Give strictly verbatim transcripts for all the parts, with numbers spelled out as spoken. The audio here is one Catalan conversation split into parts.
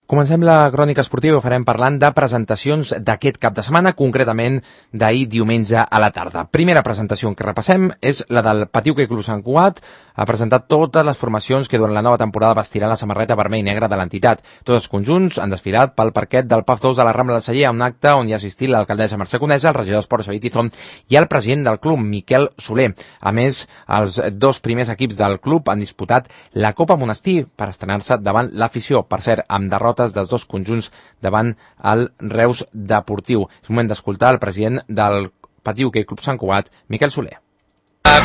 Comencem la crònica esportiva i ho farem parlant de presentacions d'aquest cap de setmana, concretament d'ahir diumenge a la tarda. Primera presentació que repassem és la del Patí Hoquei Club Sant Cugat. Ha presentat totes les formacions que durant la nova temporada vestiran la samarreta vermell i negra de l'entitat. Tots els conjunts han desfilat pel parquet del P A F dos de la Rambla del Celler a un acte on hi ha assistit l'alcaldessa Mercè Conesa, el regidor d'Esports Xavier Tizón i el president del club, Miquel Soler. A més, els dos primers equips del club han disputat la Copa Monestir per estrenar-se davant l'afició. Per cert, amb derrota dels dos conjunts davant el Reus Deportiu. És moment d'escoltar el president del Patí Hoquei Club Sant Cugat, Miquel Soler.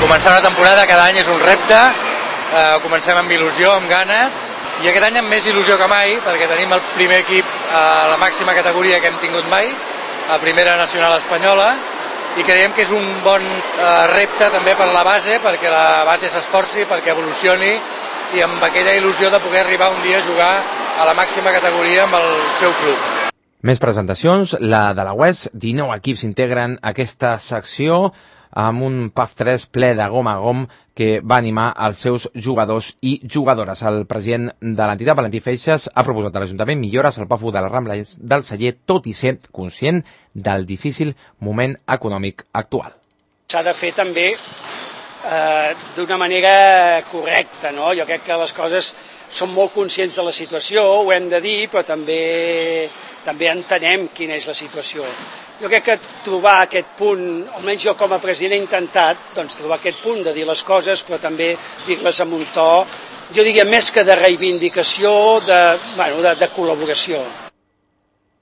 Començar una temporada cada any és un repte, eh, comencem amb il·lusió, amb ganes, i aquest any amb més il·lusió que mai, perquè tenim el primer equip a la màxima categoria que hem tingut mai, a Primera Nacional Espanyola, i creiem que és un bon eh, repte també per la base, perquè la base s'esforci, perquè evolucioni, i amb aquella il·lusió de poder arribar un dia a jugar a la màxima categoria amb el seu club. Més presentacions, la de la U E S, dinou equips integren aquesta secció amb un P A F tres ple de gom a gom que va animar els seus jugadors i jugadores. El president de l'entitat, Valentí Feixas, ha proposat a l'Ajuntament millores al P A F u de la Rambla del Celler, tot i ser conscient del difícil moment econòmic actual. S'ha de fer també eh, d'una manera correcta, no? Jo crec que les coses som molt conscients de la situació, ho hem de dir, però també, també entenem quina és la situació. Jo crec que trobar aquest punt, almenys jo com a president he intentat doncs, trobar aquest punt de dir les coses, però també dir-les amb un to, jo diria més que de reivindicació, de, bueno, de, de col·laboració.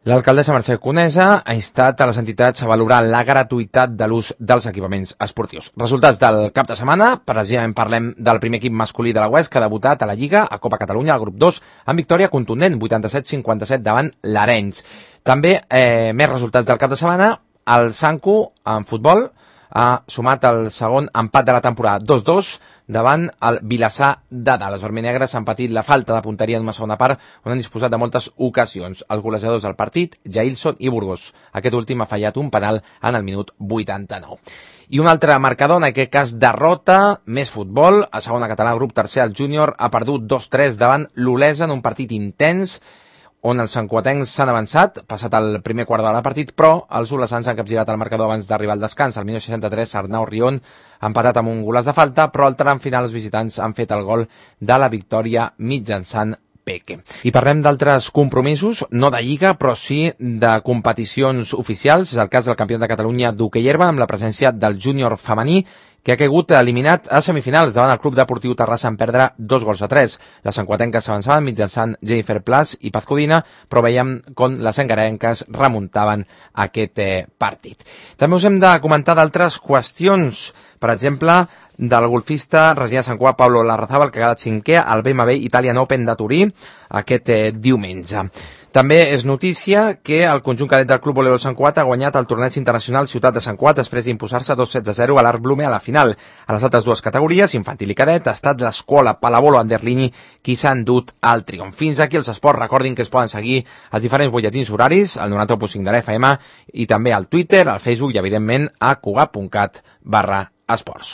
L'alcaldessa Mercè Conesa ha instat a les entitats a valorar la gratuïtat de l'ús dels equipaments esportius. Resultats del cap de setmana, precisament parlem del primer equip masculí de la U E S que ha debutat a la Lliga, a Copa Catalunya, al grup dos, amb victòria contundent, vuitanta-set a cinquanta-set davant l'Arenys. També, eh, més resultats del cap de setmana, el Sancu, en futbol, ha sumat el segon empat de la temporada, dos dos, davant el Vilassar de Dalt. Les vermells-negres han patit la falta de punteria en una segona part on han disposat de moltes ocasions. Els golejadors del partit, Jailson i Burgos. Aquest últim ha fallat un penal en el minut vuitanta-nou. I un altre marcador, en aquest cas derrota, més futbol. A segona català, grup tercer, el júnior ha perdut dos tres davant l'Olesa en un partit intens on els santcuatencs s'han avançat, passat el primer quart d'hora del partit, però els olesans han capgirat el marcador abans d'arribar al descans. Al minut seixanta-tres, Arnau Rion ha empatat amb un golaç de falta, però al tram final els visitants han fet el gol de la victòria mitjançant Peque. I parlem d'altres compromisos, no de Lliga, però sí de competicions oficials. És el cas del campionat de Catalunya d'hoquei herba, amb la presència del júnior femení, que ha caigut eliminat a semifinals davant el Club Deportiu Terrassa en perdre dos gols a tres. Les santcuatenques s'avançaven mitjançant Jennifer Plas i Paz Codina, però veiem com les engarenques remuntaven aquest eh, partit. També us hem de comentar d'altres qüestions, per exemple, del golfista resident de Sant Cugat, Pablo Larrazábal, que ha quedat cinquè al B M W Italian Open de Turí aquest eh, diumenge. També és notícia que el conjunt cadet del Club Voleibol Sant Cugat ha guanyat el torneig internacional Ciutat de Sant Cugat després d'imposar-se dos sets a zero a l'Art Blume a la final. A les altres dues categories, infantil i cadet, ha estat l'escola Palavolo Anderlini qui s'ha endut al triomf. Fins aquí els esports. Recordin que es poden seguir els diferents butlletins horaris, al noranta-u punt cinc de l'F M i també al Twitter, al Facebook i, evidentment, a cugat punt cat barra esports.